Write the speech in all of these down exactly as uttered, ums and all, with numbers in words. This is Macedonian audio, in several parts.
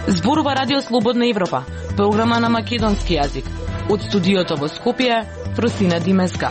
Зборува Радио Слободна Европа, програма на македонски јазик. Од студиото во Скопје, Просина Димеска.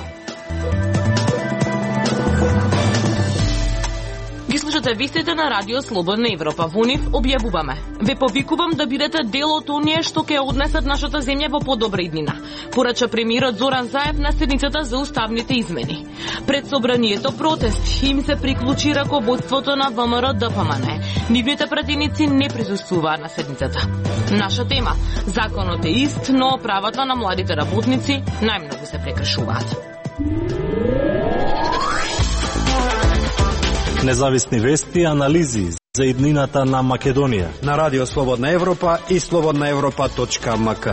Ги слушате вестите на Радио Слободна Европа. Во нив објавуваме: ве повикувам да бидете дел од оние што ќе однесат нашата земја во подобра иднина, порача премиерот Зоран Заев на седницата за уставните измени. Пред собранието протест им се приклучи раководството на ВМРО Д П М Н. Нивните пратеници не присуствуваат на седницата. Наша тема: законот е ист, но правата на младите работници најмногу се прекршуваат. Независни вести и анализи за иднината на Македонија на Радио Слободна Европа и слободна европа точка м к.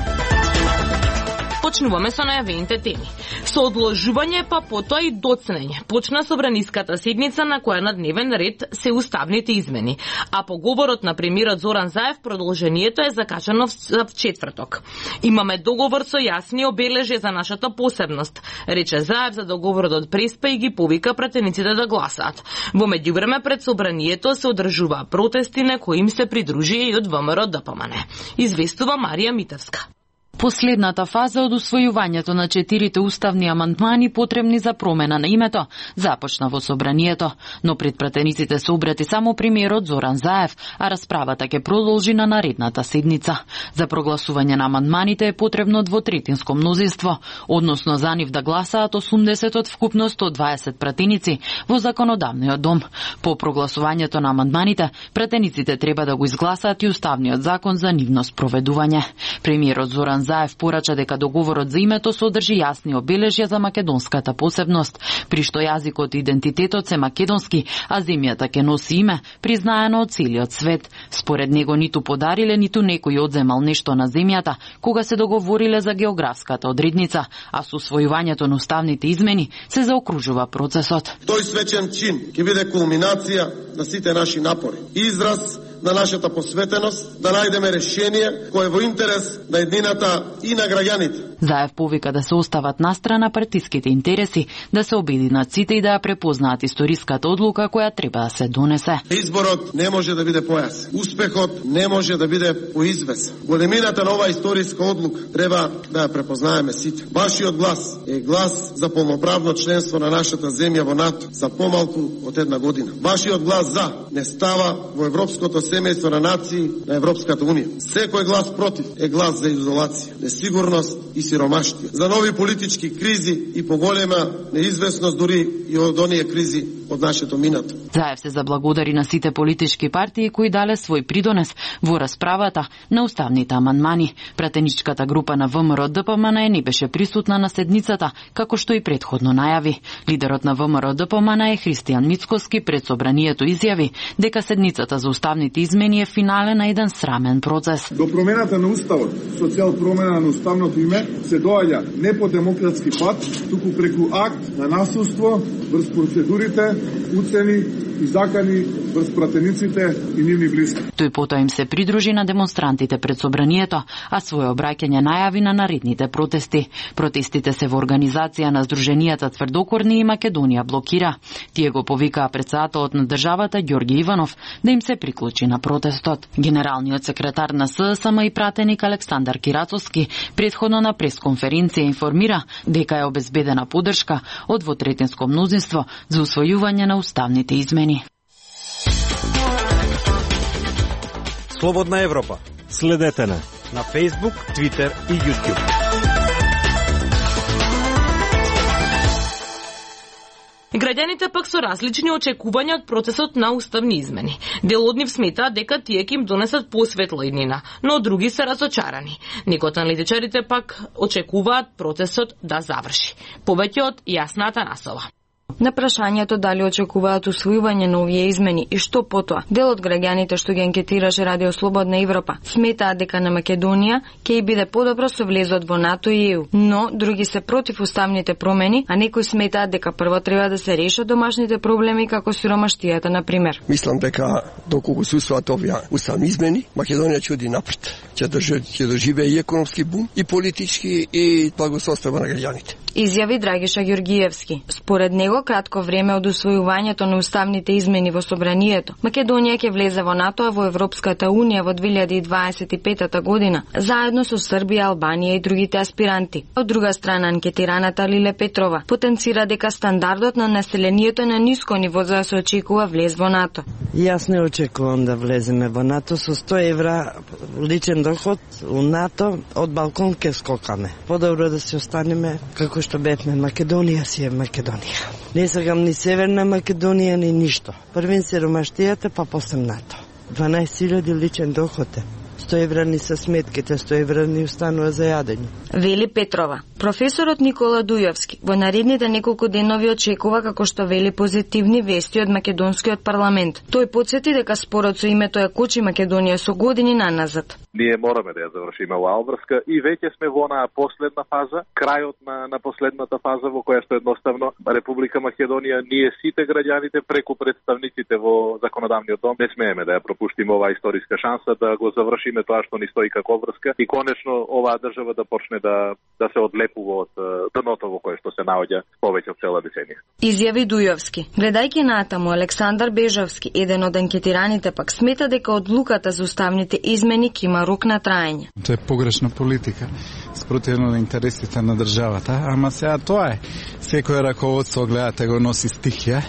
Почнуваме со најавените теми. Со одложување, па потоа и доцнење, почна собраниската седница на која на дневен ред се уставните измени, а по говорот на премиерот Зоран Заев продолжението е закачано в четврток. Имаме договор со јасни обележја за нашата посебност, рече Заев за договорот од Преспа и ги повика пратениците да гласаат. Во меѓувреме пред собранието се одржуваа протести на кои им се придружи и од ВМРО Д П М Н. Известува Марија Митевска. Последната фаза од усвојувањето на четирите уставни амандмани потребни за промена на името започна во собранието, но пред пратениците се обрати само премиерот Зоран Заев, а расправата ќе продолжи на наредната седница. За прогласување на амандманите е потребно двотретинско мнозинство, односно за нив да гласаат осумдесет од вкупно сто дваесет пратеници во законодавниот дом. По прогласувањето на амандманите, пратениците треба да го изгласаат и уставниот закон за нивно спроведување. Премиерот Зоран Заев порача дека договорот за името содржи јасни обележја за македонската посебност, при што јазикот и идентитетот се македонски, а земјата ќе носи име признаено од целиот свет. Според него ниту подариле, ниту некој одземал нешто на земјата кога се договориле за географската одредница, а со усвојувањето на уставните измени се заокружува процесот. Тој свечен чин ќе биде кулминација на сите наши напори, израз на нашата посветеност да најдеме решение кое е во интерес на еднината и на граѓаните. Заев повика да се остават настрана партиските интереси, да се обединат сите и да ја препознаат историската одлука која треба да се донесе. Изборот не може да биде појасен. Успехот не може да биде поизвесен. Големината на оваа историска одлука треба да ја препознаеме сите. Вашиот глас е глас за полноправно членство на нашата земја во НАТО за помалку од една година. Вашиот глас за не става во европското семејство на нации на Европската унија. Секој глас против е глас за изолација, несигурност и сиромаштија, за нови политички кризи и поголема неизвестност дури и од оние кризи од нашето минато. Заев се заблагодари на сите политички партии кои дале свој придонес во расправата на уставните амандмани. Пратеничката група на ВМРО Д П М Н не беше присутна на седницата, како што и претходно најави. Лидерот на ВМРО Д П М Н е Христијан Мицкоски пред собранието изјави дека седницата за уставните измени е финале на еден срамен процес. До промената на уставот, со цел промена на уставното име, се доаѓа не по демократски пат, туку преку акт на насилство врз процедурите, уцени и закани врз пратениците и нивни блиски. Тој потоа им се придружи на демонстрантите пред собранието, а своје обраќање најави на наредните протести. Протестите се во организација на Сдруженијата Тврдокорни и Македонија блокира. Тие го повикаа председателот на државата Ѓорги Иванов да им се приклучи на протестот. Генералниот секретар на С С М и пратеник Александар Кирацовски претходно на пресконференција информира дека е обезбедена поддршка од двотретинско мнозинство за усвојување на уставните измени. Слободна Европа. Следете на на Facebook, Twitter и YouTube. Граѓаните пак со различни очекувања од процесот на уставни измени. Дел од нив сметаат дека тие ќе им донесат посветла иднина, но други се разочарани. Некои од аналитичарите пак очекуваат процесот да заврши. Повеќе од Јасна Атанасова. На прашањето дали очекуваат усвојување на овие измени и што потоа, дел од граѓаните што ги анкетираше Радио Слободна Европа сметаат дека на Македонија ќе и биде подобро со влезот во НАТО и Е У, но други се против уставните промени, а некои сметаат дека прво треба да се решат домашните проблеми како сиромаштијата на пример. Мислам дека доколку се усвојат овие уставни измени, Македонија ќе оди напред. Ќе доживее и економски бум, и политички, и благосостојба на граѓаните. изјави Драгиша Ѓоргиевски. Според него, кратко време од усвојувањето на уставните измени во собранието, Македонија ќе влезе во НАТО, а во Европската унија во две илјади и дваесет и петата година, заедно со Србија, Албанија и другите аспиранти. Од друга страна, анкетираната Лиле Петрова потенцира дека стандардот на населението е на ниско ниво за да се очекува влез во НАТО. Јас не очекувам да влеземе во НАТО. Со сто евра личен доход у НАТО од балкон ке скокаме. Подобро да се останеме како што бевме. Македонија си е Македонија. Не сакам ни Северна Македонија, ни ништо. Првен сиромаштијата, па после НАТО. дванаесет илјади личен доход е. сто евра ни се сметките, сто евра ни останува за јадење. Вели Петрова. Професорот Никола Дујовски во наредните неколку денови очекува, како што вели, позитивни вести од македонскиот парламент. Тој потсети дека спорот со името ја кочи Македонија со години наназад. Ние мораме да ја завршиме оваа обврска и веќе сме во онаа последна фаза, крајот на, на последната фаза во која што едноставно Република Македонија, ние сите граѓаните преку представниците во законодавниот дом не смееме да ја пропуштиме оваа историска шанса да го завршиме тоа што ни стои како обврска и конечно оваа држава да почне да да се одлепува од дното во кое што се наоѓа повеќе од цела деценија. Изјави Дујовски. Гледајќи натаму, Александар Бежовски, еден од анкетираните, пак смета дека одлуката за уставните измени ќе има рок на траење. Тоа е погрешна политика, спротивно на интересите на државата, ама сега тоа е. Секој раководство, гледате, го носи стихија,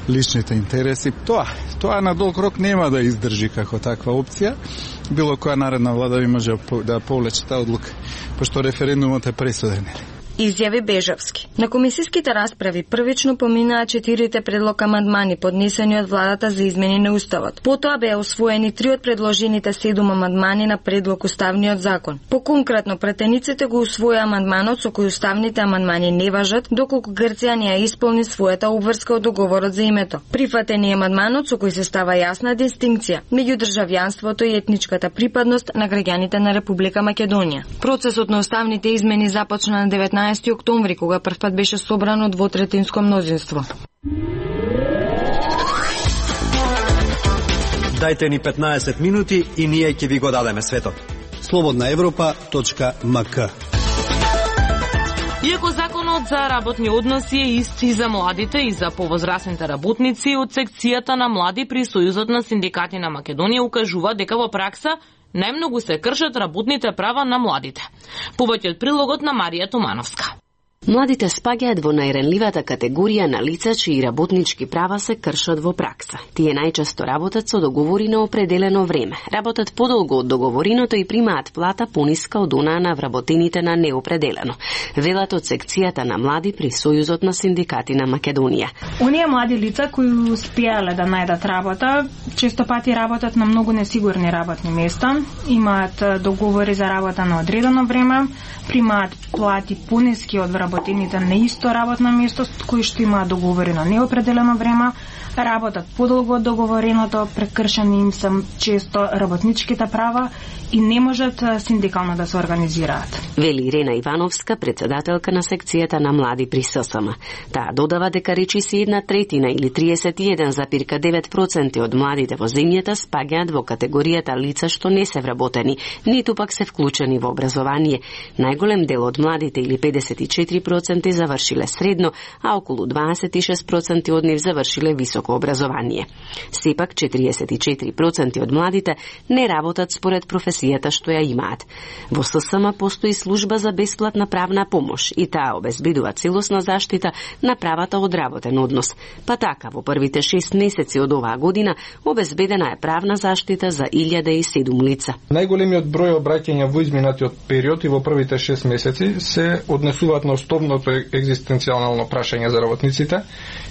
личните интереси. Тоа, тоа на долг рок нема да издржи како таква опција. Било која наредна влада би може да повлече таа одлука, пошто референдумот е пресуден. Изјави Бежовски. На комисиските расправи првично поминаа четирите предлог амандмани поднесени од владата за измени на уставот. Потоа беа усвоени три од предложените седум амандмани на предлог уставниот закон. Поконкретно, претениците го усвоја амандманот со кој уставните амандмани не важат доколку Грција не ја исполни својата обврска од договорот за името. Прифатен е амандманот со кој се става јасна дистинкција меѓу државјанството и етничката припадност на граѓаните на Република Македонија. Процесот на уставните измени започна на деветнаесети октомври, кога првпат беше собрано двотретинско мнозинство. Дајте ни петнаесет минути и ние ќе ви го дадеме светот. слободна европа точка ем ка. Иако законот за работни односи е ист и за младите и за повозрасните работници, од секцијата на млади при Сојузот на синдикати на Македонија укажува дека во пракса најмногу се кршат работните права на младите. Повеќе од прилогот на Марија Тумановска. Младите спаѓаат во најранливата категорија на лица чии работнички права се кршат во пракса. Тие најчесто работат со договори на определено време, работат подолго од договореното и примаат плата пониска од онаа на вработените на неопределено. Велат од секцијата на млади при Сојузот на синдикати на Македонија. Оние млади лица кои успеале да најдат работа, често пати работат на многу несигурни работни места, имаат договори за работа на одредено време, примаат плати пониски од вработените на исто работно место, кои што имаат договори на неопределено време, работат подолго од договореното, прекршени им се често работничките права и не можат синдикално да се организираат. Вели Ирена Ивановска, председателка на секцијата на млади при ССМ. Таа додава дека речиси една третина или триесет и еден зарез девет проценти од младите во земјата спаѓаат во категоријата лица што не се вработени, ниту пак се вклучени во образование. Најголем дел од младите или педесет и четири проценти завршиле средно, а околу дваесет и шест проценти од нив завршиле високо образование. Сепак четириесет и четири проценти од младите не работат според професијата што ја имаат. Во ССМ постои служба за бесплатна правна помош и таа обезбедува целосна заштита на правата од работен однос. Па така, во првите шест месеци од оваа година обезбедена е правна заштита за илјада и седум лица. Најголемиот број обраќања во изминатиот период и во првите шест месеци се однесуваат на основното екзистенцијално прашање за работниците,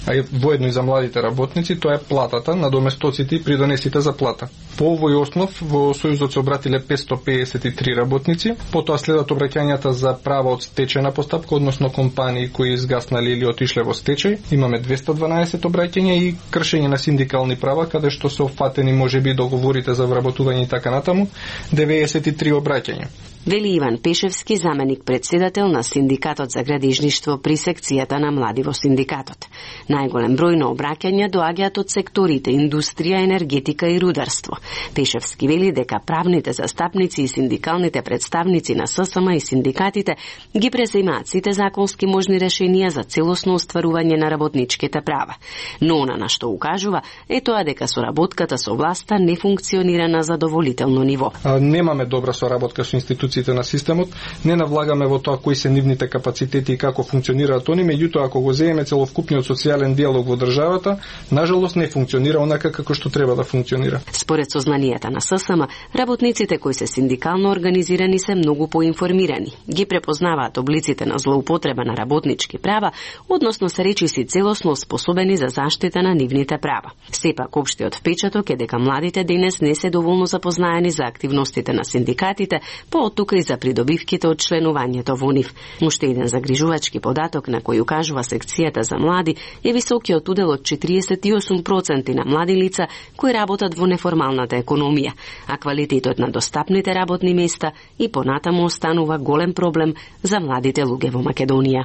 а воедно и за младите работници, тоа е платата, надоместоците и придонесите за плата. По овој основ во Сојузот се обратиле петстотини педесет и три работници, потоа следат обраќањата за права од стечајна постапка, односно компании кои изгаснали или отишле во стечај. Имаме двесте дванаесет обраќања и кршење на синдикални права, каде што се офатени можеби договорите за вработување и така натаму, деветдесет и три обраќања. Вели Иван Пешевски, заменик председател на Синдикатот за градежништво при секцијата на млади во синдикатот. Најголем број на обраќања доаѓаат од секторите индустрија, енергетика и рударство. Пешевски вели дека правните застапници и синдикалните представници на ССМ и синдикатите ги преземаат сите законски можни решенија за целосно остварување на работничките права. Но она на што укажува е тоа дека соработката со власта не функционира на задоволително ниво. А, немаме добра соработка со институциите на системот, не навлагаме во тоа кои се нивните капацитети и како функционираат они, меѓутоа ако го земеме целокупниот социјален диалог во државата, нажалост не функционира онака како што треба да функционира. Според сознанијата на ССМ, работниците кои се синдикално организирани се многу поинформирани. Ги препознаваат облиците на злоупотреба на работнички права, односно се речиси целосно способени за заштита на нивните права. Сепак општиот впечаток е дека младите денес не се доволно запознаени за активностите на синдикатите, поотука и за придобивките од членувањето во нив. Уште еден загрижувачки податок на кој укажува секцијата за млади е високиот удел од четириесет и осум проценти на млади лица кои работат во неформалната економија, а квалитетот на достапните работни места и понатаму останува голем проблем за младите луѓе во Македонија.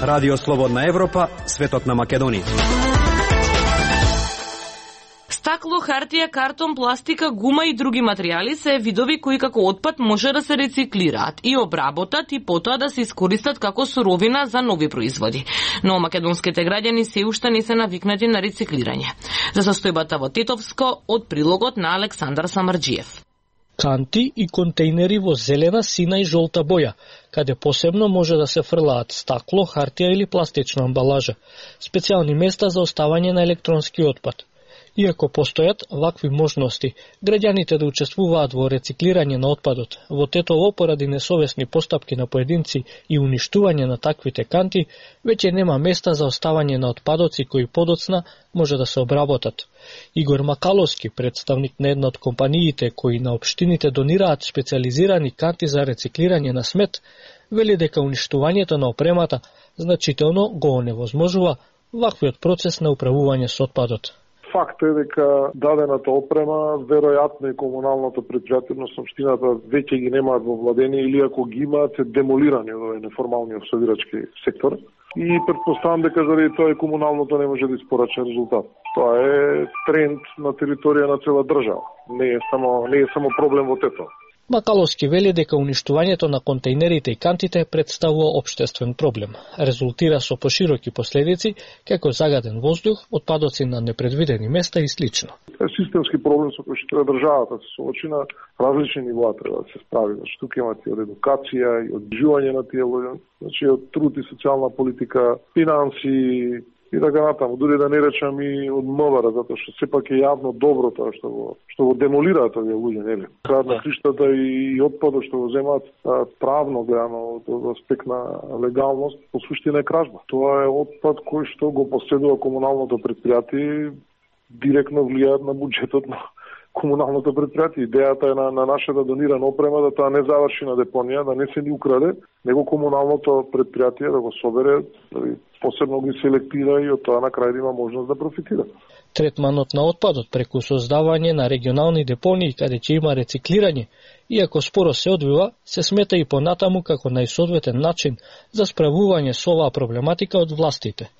Радио Слободна Европа, светот на Македонија. Стакло, хартија, картон, пластика, гума и други материјали се видови кои како отпад може да се рециклираат и обработат и потоа да се искористат како суровина за нови производи. Но македонските граѓани се уште не се навикнати на рециклирање. За состојбата во Тетовско од прилогот на Александар Самарџиев. Канти и контейнери во зелена, сина и жолта боја, каде посебно може да се фрлаат стакло, хартија или пластична амбалажа, специјални места за оставање на електронски отпад. Иако постојат вакви можности, граѓаните да учествуваат во рециклирање на отпадот, во Тетово поради несовесни постапки на поединци и уништување на таквите канти, веќе нема места за оставање на отпадоци кои подоцна може да се обработат. Игор Макаловски, представник на една од компаниите кои на општините донираат специализирани канти за рециклирање на смет, вели дека уништувањето на опремата значително го оневозможува ваквиот процес на управување со отпадот. Факт е дека дадената опрема, веројатно и комуналното предпријатие на општината веќе ги немаат во владение или ако ги имаат се демолирани од овој неформалниот совирачки сектор. И претпоставам дека заради тоа и комуналното не може да испорача резултат. Тоа е тренд на територија на цела држава. Не е само не е само проблем во Тетово. Макаловски вели дека уништувањето на контейнерите и кантите представува општествен проблем. Резултира со пошироки последици, како загаден воздух, отпадоци на непредвидени места и слично. Тоа е системски проблем со кој што државата се соочи на различни нива треба да се справи. Значи, тука имате од едукација и од живање на тие луѓе, значи од труд и социјална политика, финанси и така натаму, дури да не речам и од МВР, затоа што сепак е јавно добро тоа што го што го демолираат овие луѓе, нели? Крајот на криштата и отпадот што го земаат правно гледано од аспект на легалност, по суштина е кражба. Тоа е отпад кој што го поседува комуналното предпријатие, директно влијаат на буџетот на комуналното предпријатие. Идејата е на, на нашата донирана опрема да тоа не заврши на депонија, да не се ни украде, него комуналното предпријатие да го собере, да посебно ги селектира и од тоа на крај да има можност да профитира. Третманот на отпадот преку создавање на регионални депонии каде ќе има рециклирање, иако споро се одвива, се смета и понатаму како најсоодветен начин за справување со оваа проблематика од властите.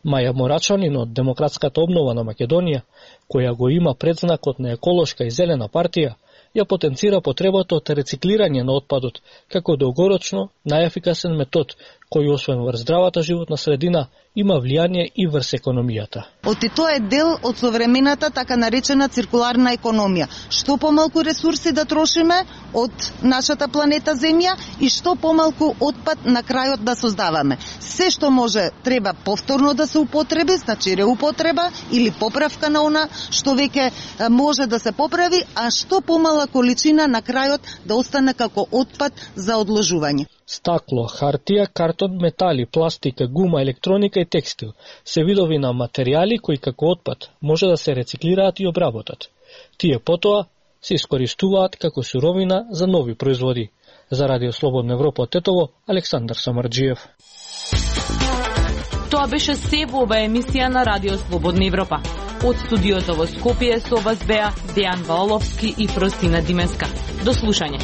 Маја Морачанин од Демократската обнова на Македонија, која го има предзнакот на еколошка и зелена партија, ја потенцира потребата од рециклирање на отпадот како долгорочно најефикасен метод кој освен врз здравата животна средина има влијание и врз економијата. Оти тоа е дел од современата така наречена циркуларна економија. Што помалку ресурси да трошиме од нашата планета Земја и што помалку отпад на крајот да создаваме. Се што може треба повторно да се употреби, значи реупотреба или поправка на она што веќе може да се поправи, а што помала количина на крајот да остане како отпад за одложување. Стакло, хартија, картон, метали, пластика, гума, електроника и текстил се видови на материјали кои како отпад може да се рециклираат и обработат. Тие потоа се искористуваат како суровина за нови производи. За Радио Слободна Европа од Тетово, Александар Самарџиев. Тоа беше се во оваа емисија на Радио Слободна Европа. Од студиото во Скопје со вас беа Дејан Ваоловски и Простина Димеска. До слушање.